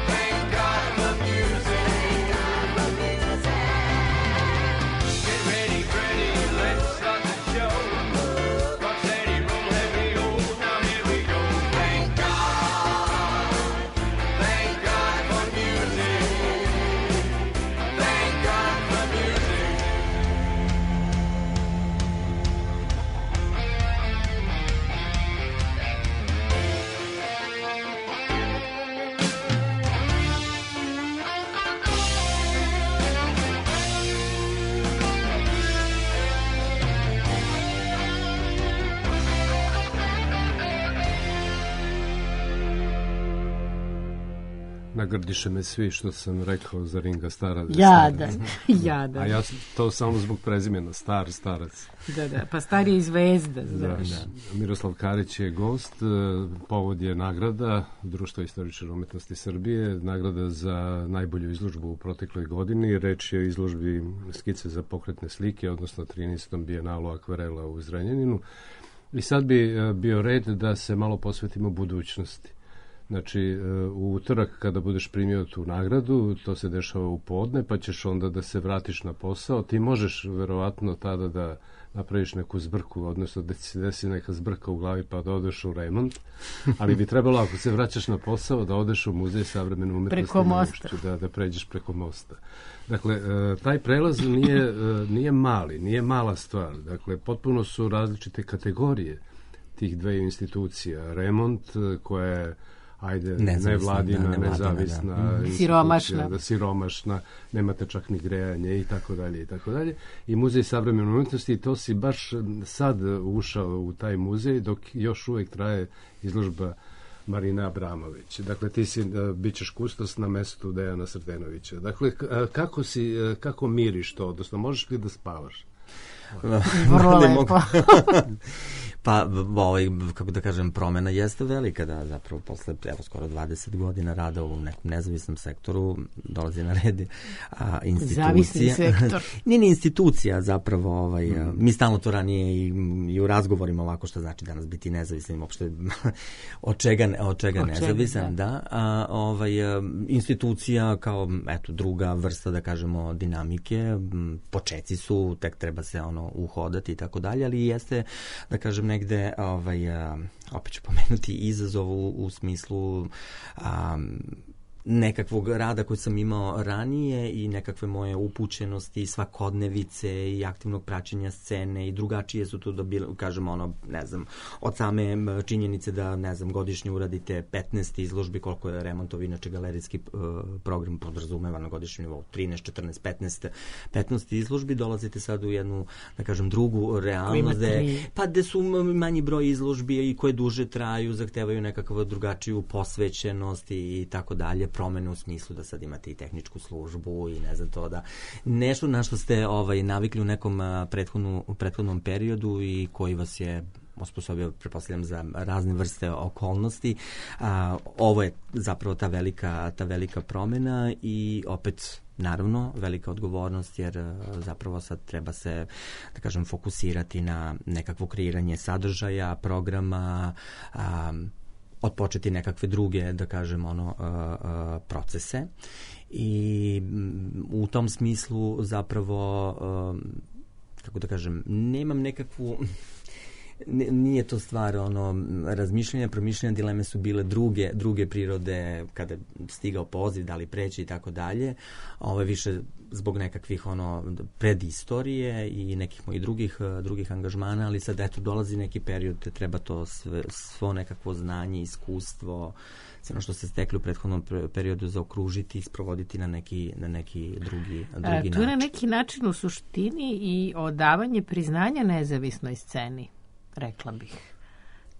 Thank God for music. Get ready, Freddie, let's start the show. Rock steady, roll heavy, oh, now here we go. Thank God. Thank God for music. Thank God for music. Nagrdiše me svi što sam rekao za Ringa Stara. Jadan, jadan. A ja to samo zbog prezimena, Star, Starac. Da, da, pa Star je i zvezda. Da, Znaš. da. Miroslav Karić je gost, povod je nagrada Društva istoričara umetnosti Srbije, nagrada za najbolju izložbu u protekloj godini. Reč je o izložbi skice za pokretne slike, odnosno trinaestom bijenalu akvarela u Zrenjaninu. I sad bi bio red da se malo posvetimo budućnosti. Znači, u utorak kada budeš primio tu nagradu, to se dešava u podne, pa ćeš onda da se vratiš na posao. Ti možeš verovatno tada da napraviš neku zbrku, odnosno da se desi neka zbrka u glavi pa da odeš u remont, ali bi trebalo ako se vraćaš na posao da odeš u Muzej savremene umetnosti preko mosta. Da, da pređeš preko mosta. Dakle, taj prelaz nije, nije mali, nije mala stvar. Dakle, potpuno su različite kategorije tih dve institucija. Remont koja je ajde, nevladina, da, nezavisna, da. Siromašna. Da, siromašna, nemate čak ni grejanje i tako dalje i tako dalje. I Muzej savremene umetnosti, to si baš sad ušao u taj muzej dok još uvijek traje izložba Marina Abramović. Dakle, ti si, bit ćeš kustos na mestu Dejana Sretenovića. Dakle, kako si, kako miriš to, odnosno možeš li da spavaš? Vrlo lepo. Pa, ovaj, kako da kažem, promena jeste velika, da zapravo posle, evo, skoro dvadeset godina rada u nekom nezavisnom sektoru dolazi na red a, institucija. Zavisni sektor. Nije ni institucija, zapravo, ovaj, mm. mi stalno to ranije i, i u razgovorima ovako što znači danas biti nezavisnim, uopšte od čega, od čega nezavisan, da. da a, ovaj, institucija kao, eto, druga vrsta, da kažemo, dinamike, počeci su, tek treba se ono uhodati i tako dalje, ali jeste, da kažem, negde, ovaj, opet ću pomenuti izazov u, u smislu um, nekakvog rada koji sam imao ranije i nekakve moje upućenosti, svakodnevice i aktivnog praćenja scene i drugačije su tu da bilo, kažem, ono, ne znam, od same činjenice da, ne znam, godišnje uradite petnaest izložbi, koliko je remontovi, inače galerijski uh, program podrazumeva na godišnjem nivou, trinaest, četrnaest, petnaest, petnaest izložbi, dolazite sad u jednu, da kažem, drugu realnost, de, pa gde su manji broj izložbi i koje duže traju, zahtevaju nekakvu drugačiju posvećenost i tako dalje, promene u smislu da sad imate i tehničku službu i ne znam to da nešto na što ste ovaj, navikli u nekom prethodnu, u prethodnom periodu i koji vas je osposobio, pretpostavljam, za razne vrste okolnosti. A, ovo je zapravo ta velika, ta velika promena i opet naravno velika odgovornost jer zapravo sad treba se, da kažem, fokusirati na nekakvo kreiranje sadržaja, programa, a, odpočeti nekakve druge, da kažem, ono, uh, uh, procese i u tom smislu zapravo, uh, kako da kažem, nemam nekakvu, nije to stvar ono razmišljanja, promišljanja, dileme su bile druge, druge prirode kada stigao poziv, da li preći i tako dalje. Ovo je više zbog nekakvih ono predistorije i nekih mojih drugih, drugih angažmana, ali sad eto dolazi neki period, treba to sve, svo nekakvo znanje, iskustvo, sve ono što se stekli u prethodnom periodu zaokružiti i sprovoditi na neki, na neki drugi, drugi e, način. Tu je na neki način u suštini i odavanje priznanja nezavisnoj sceni, rekla bih.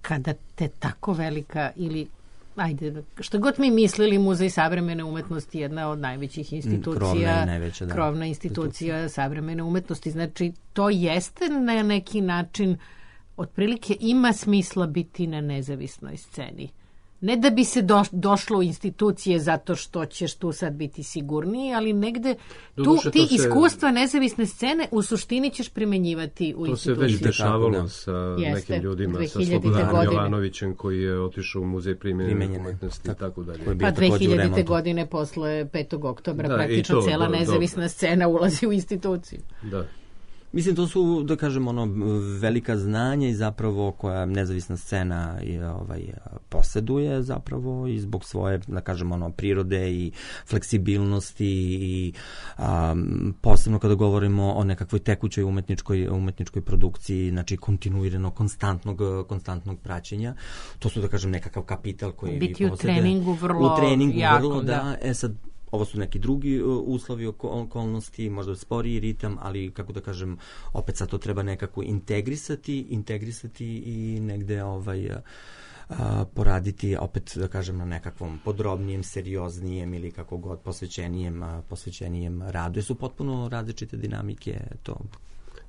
Kada te tako velika ili ajde, što god mi mislili, Muzej savremene umetnosti je jedna od najvećih institucija, krovna, najveća, da, krovna institucija savremene umetnosti. Znači, to jeste na neki način, otprilike ima smisla biti na nezavisnoj sceni. ne da bi se do, došlo u institucije zato što ćeš tu sad biti sigurniji, ali negde tu, Doduše, ti se, iskustva nezavisne scene u suštini ćeš primenjivati u to institucije. To se već dešavalo da. sa Jeste, nekim ljudima, sa dve hiljadite Slobodanom godine. Jovanovićem koji je otišao u muzej primenjene umetnosti i tako dalje. Pa dve hiljadite godine posle petog oktobra da, praktično to, cela do, nezavisna do. scena ulazi u instituciju. Da. Mislim, to su, da kažem, ono, velika znanja i zapravo koja nezavisna scena je, ovaj, posjeduje zapravo i zbog svoje, da kažem, ono, prirode i fleksibilnosti i a, posebno kada govorimo o nekakvoj tekućoj umetničkoj, umetničkoj produkciji, znači kontinuirano, konstantnog, konstantnog praćenja. To su, da kažem, nekakav kapital koji biti vi u posjeduje. treningu vrlo U treningu jako, vrlo, da. da. E sad, ovo su neki drugi uh, uslovi, okolnosti, možda sporiji ritam, ali kako da kažem, opet sad to treba nekako integrisati, integrisati i negde ovaj, uh, poraditi, opet da kažem, na nekakvom podrobnijem, serioznijem ili kako god posvećenijem, uh, posvećenijem radu. Jer su potpuno različite dinamike to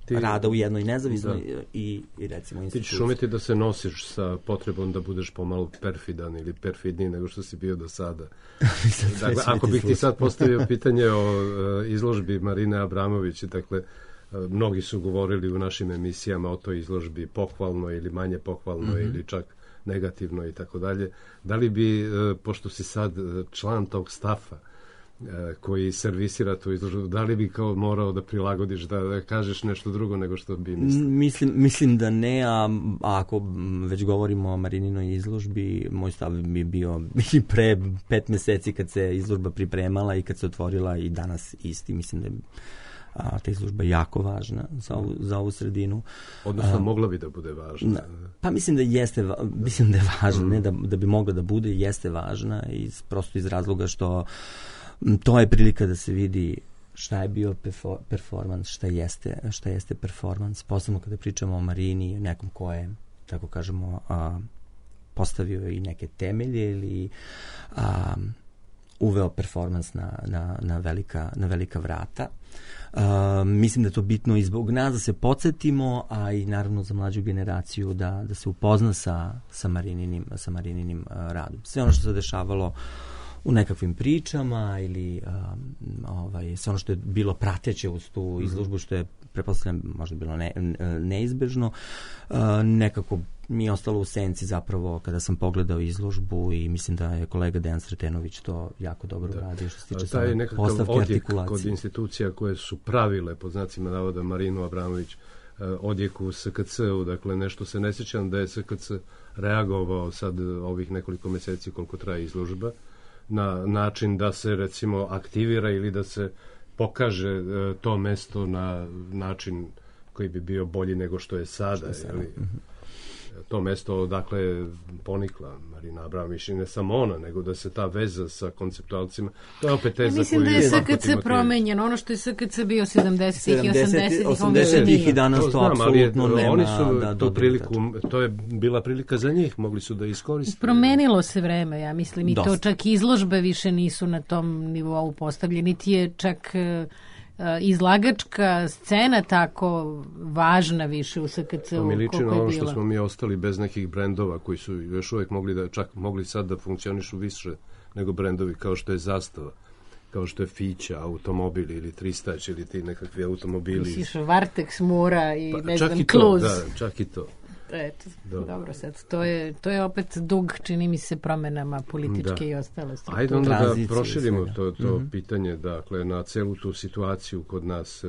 ti, rada u jednoj nezavisnoj da. i, i recimo instituciji. Ti ćeš umeti da se nosiš sa potrebom da budeš pomalo perfidan ili perfidniji nego što si bio do sada. Dakle, ako bih ti sad postavio pitanje o uh, izložbi Marine Abramović, dakle, uh, mnogi su govorili u našim emisijama o toj izložbi pohvalno ili manje pohvalno mm-hmm. ili čak negativno i tako dalje. Da li bi, uh, pošto si sad član tog stafa, koji servisira tu izložbu, da li bi kao morao da prilagodiš, da, da kažeš nešto drugo nego što bi mislio? Mislim, mislim da ne, a, a ako već govorimo o Marininoj izložbi, moj stav bi bio i pre pet meseci kad se izložba pripremala i kad se otvorila i danas isti, mislim da je a, ta izložba jako važna za ovu, za ovu sredinu. Odnosno, a, mogla bi da bude važna. Pa mislim da jeste, mislim da je važna, mm. ne da, da bi mogla da bude, jeste važna, iz, prosto iz razloga što to je prilika da se vidi šta je bio performans, šta jeste, šta jeste performans, posebno kada pričamo o Marini, nekom ko je, tako kažemo, a, postavio i neke temelje ili a, uveo performans na, na, na, velika, na velika vrata. A, mislim da je to bitno i zbog nas da se podsjetimo, a i naravno za mlađu generaciju da, da se upozna sa, sa Marininim, sa Marininim a, radom. Sve ono što se dešavalo u nekakvim pričama ili um, ovaj, sve ono što je bilo prateće uz tu izložbu, što je, pretpostavljam, možda bilo ne, neizbežno, uh, nekako mi je ostalo u senci zapravo kada sam pogledao izložbu i mislim da je kolega Dejan Sretenović to jako dobro uradio što se tiče same postavke, artikulacije. Kod institucija koje su pravile, pod znacima navoda, Marinu Abramović, uh, odjek u S K C-u, dakle nešto se ne sjećam da je S K C reagovao sad ovih nekoliko meseci koliko traje izložba, na način da se recimo aktivira ili da se pokaže e, to mesto na način koji bi bio bolji nego što je sada. Je je mm-hmm. To mesto odakle ponikla Marina Abramović i ne samo ona, nego da se ta veza sa konceptualcima, to je opet teza ja mislim koju da je S K C promenjen, ono što je S K C bio sedamdesetih i osamdesetih osamdesetih i danas to, to apsolutno nema. Oni su da, tu priliku, to je bila prilika za njih, mogli su da iskoriste. Promenilo se vreme, ja mislim, i Dosta. to čak izložbe više nisu na tom nivou postavljeni, niti je čak izlagačka scena tako važna više u S K C-u. To mi liči na ono što smo mi ostali bez nekih brendova koji su još uvijek mogli da, čak mogli sad da funkcionišu više nego brendovi kao što je Zastava, kao što je Fića, automobili ili Tristać ili ti nekakvi automobili. Misliš Vartex, Mura i pa, ne znam, i Kluz. To, da, čak i to. Eto, dobro. dobro sad, to je, to je opet dug, čini mi se, promenama političke da. i ostale strukture. Ajde onda da proširimo to, to mm-hmm. pitanje, dakle, na celu tu situaciju kod nas.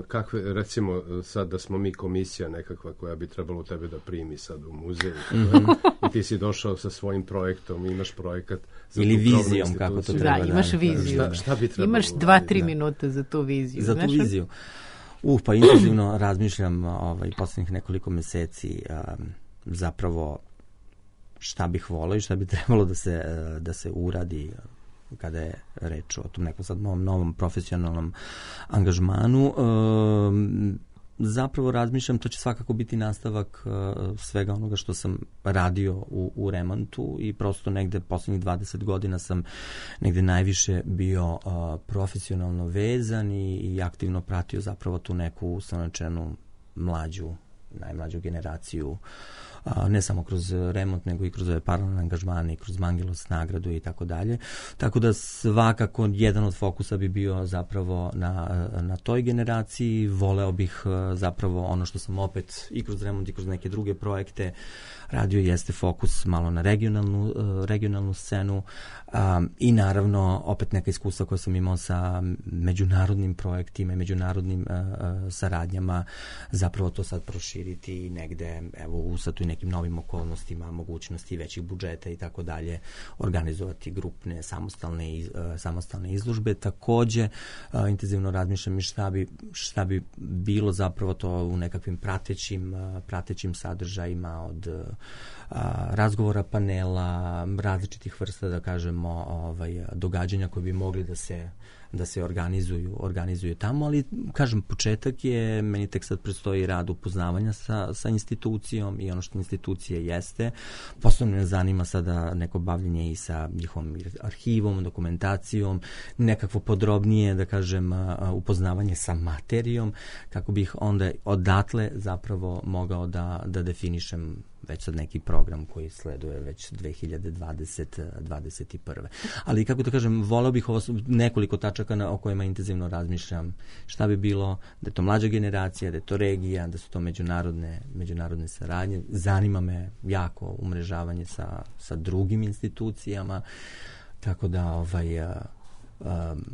Kakve, recimo, sad da smo mi komisija nekakva koja bi trebalo tebe da primi sad u muzej. Mm-hmm. I ti si došao sa svojim projektom, imaš projekat za ili vizijom, kako to treba. Da, imaš viziju. Šta, šta bi trebalo? Imaš dva, tri minuta za tu viziju. Za tu znaš? viziju. Uh, pa intenzivno razmišljam ovaj, poslednjih nekoliko meseci um, zapravo šta bih volao i šta bi trebalo da se, da se uradi kada je reč o tom nekom sad novom, novom profesionalnom angažmanu. Um, zapravo razmišljam, to će svakako biti nastavak uh, svega onoga što sam radio u, u remontu i prosto negde poslednjih dvadeset godina sam negde najviše bio uh, profesionalno vezan i, i aktivno pratio zapravo tu neku ustanočenu mlađu, najmlađu generaciju a, ne samo kroz remont, nego i kroz ove paralelne angažmane i kroz Mangelos nagradu i tako dalje. Tako da svakako jedan od fokusa bi bio zapravo na, na toj generaciji. Voleo bih zapravo ono što sam opet i kroz remont i kroz neke druge projekte radio jeste fokus malo na regionalnu, regionalnu scenu um, i naravno opet neka iskustva koja sam imao sa međunarodnim projektima i međunarodnim uh, uh, saradnjama, zapravo to sad proširiti negde, evo u sad tu i nekim novim okolnostima, mogućnosti većih budžeta i tako dalje, organizovati grupne samostalne, iz, uh, samostalne izložbe. Takođe, uh, intenzivno razmišljam i šta bi, šta bi bilo zapravo to u nekakvim pratećim, uh, pratećim sadržajima od a, razgovora, panela, različitih vrsta, da kažemo, ovaj, događanja koje bi mogli da se da se organizuju, organizuju tamo, ali kažem, početak je, meni tek sad predstoji rad upoznavanja sa, sa institucijom i ono što institucije jeste. Posebno me zanima sada neko bavljenje i sa njihovom arhivom, dokumentacijom, nekakvo podrobnije, da kažem, upoznavanje sa materijom, kako bih onda odatle zapravo mogao da, da definišem već sad neki program koji sleduje već dve hiljade dvadesete dvadeset prve. Ali kako da kažem, voleo bih ovo nekoliko tačaka na, o kojima intenzivno razmišljam. Šta bi bilo da je to mlađa generacija, da je to regija, da su to međunarodne, međunarodne saradnje. Zanima me jako umrežavanje sa, sa drugim institucijama, tako da ovaj... A, Um,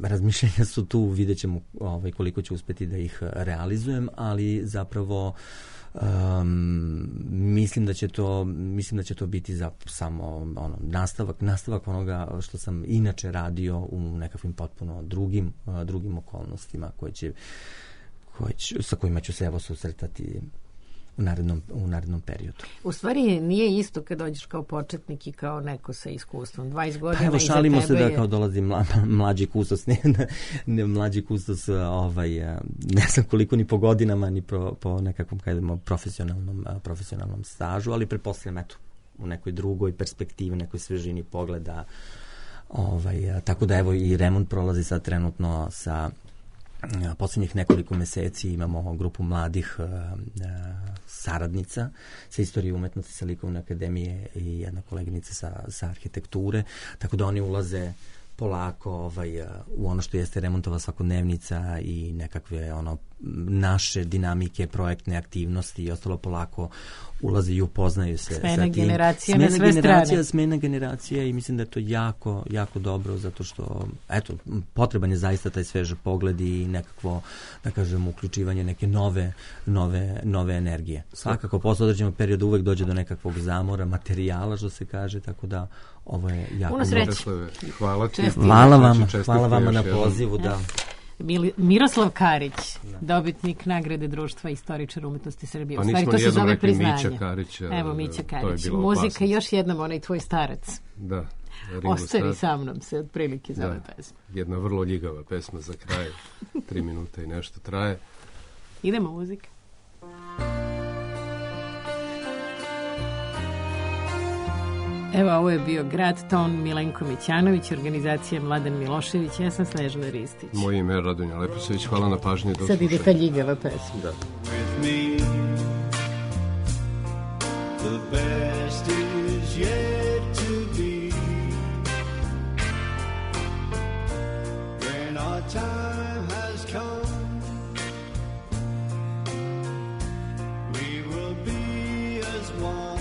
razmišljenja su tu, vidjet ćemo ovaj, koliko ću uspeti da ih realizujem, ali zapravo um, mislim da će to mislim da će to biti za samo ono, nastavak, nastavak onoga što sam inače radio u nekakvim potpuno drugim, uh, drugim okolnostima koje će, koje će, sa kojima ću se evo susretati u narednom, u narednom periodu. U stvari nije isto kad dođeš kao početnik i kao neko sa iskustvom. dvadeset godina pa evo, iza šalimo tebe se je... da kao dolazi mla, mlađi kustos, ne, ne mlađi kustos, ovaj, ne znam koliko ni po godinama, ni po, po nekakvom kajdemo, profesionalnom, profesionalnom stažu, ali pretpostavljam, eto, u nekoj drugoj perspektivi, nekoj svežini pogleda. Ovaj, tako da evo i remont prolazi sad trenutno sa posljednjih nekoliko meseci imamo grupu mladih uh, saradnica sa istorije umetnosti sa Likovne akademije i jedna koleginica sa, sa arhitekture, tako da oni ulaze polako ovaj, u ono što jeste remontova svakodnevnica i nekakve ono naše dinamike, projektne aktivnosti i ostalo polako ulaze i upoznaju se smena sa tim. Generacija smena na sve generacija, strane. Smena generacija i mislim da je to jako, jako dobro zato što, eto, potreban je zaista taj svež pogled i nekakvo, da kažem, uključivanje neke nove, nove, nove energije. Svakako, posle određenog perioda uvek dođe do nekakvog zamora, materijala, što se kaže, tako da ovo je jako... Puno sreće. Hvala ti. Hvala vama, hvala vama na pozivu, da... Miroslav Karić, dobitnik nagrade Društva istoričara umetnosti Srbije. Pa U stvari, to se zove priznanje. Mića Karića. Evo, Mića Karić. Muzika, opasnost. Još jednom, onaj tvoj starac. Da. Ostari sa mnom se otprilike za ove pesme. Jedna vrlo ljigava pesma za kraj. Tri minuta i nešto traje. Idemo muzika. Evo, ovo je bio Grad Ton, Milenko Mićanović, organizacija Mladen Milošević, ja sam Snežana Ristić. Moje ime je Radonja Leposavić, hvala na pažnji. Sad ide ta ljigava pesma. Da. With me, the best is yet to be. When our time has come, we will be as one.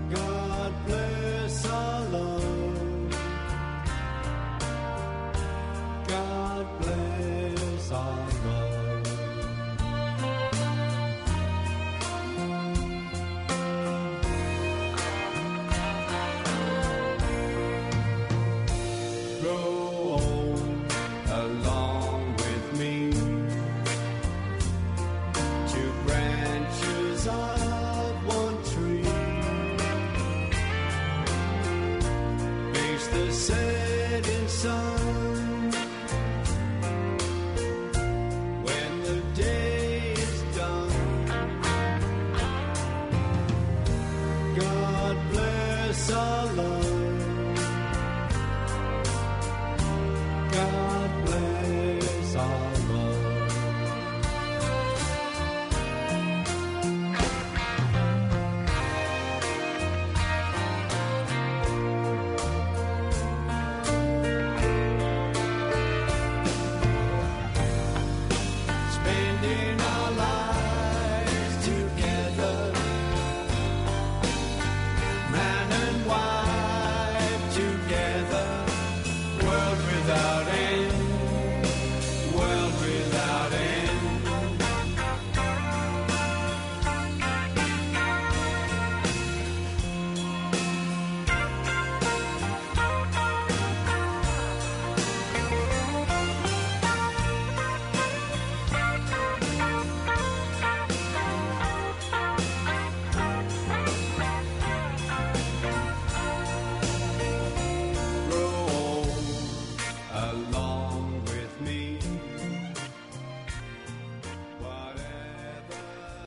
God bless our love. God bless our love. Grow old along with me. Two branches of one tree. Face the setting sun.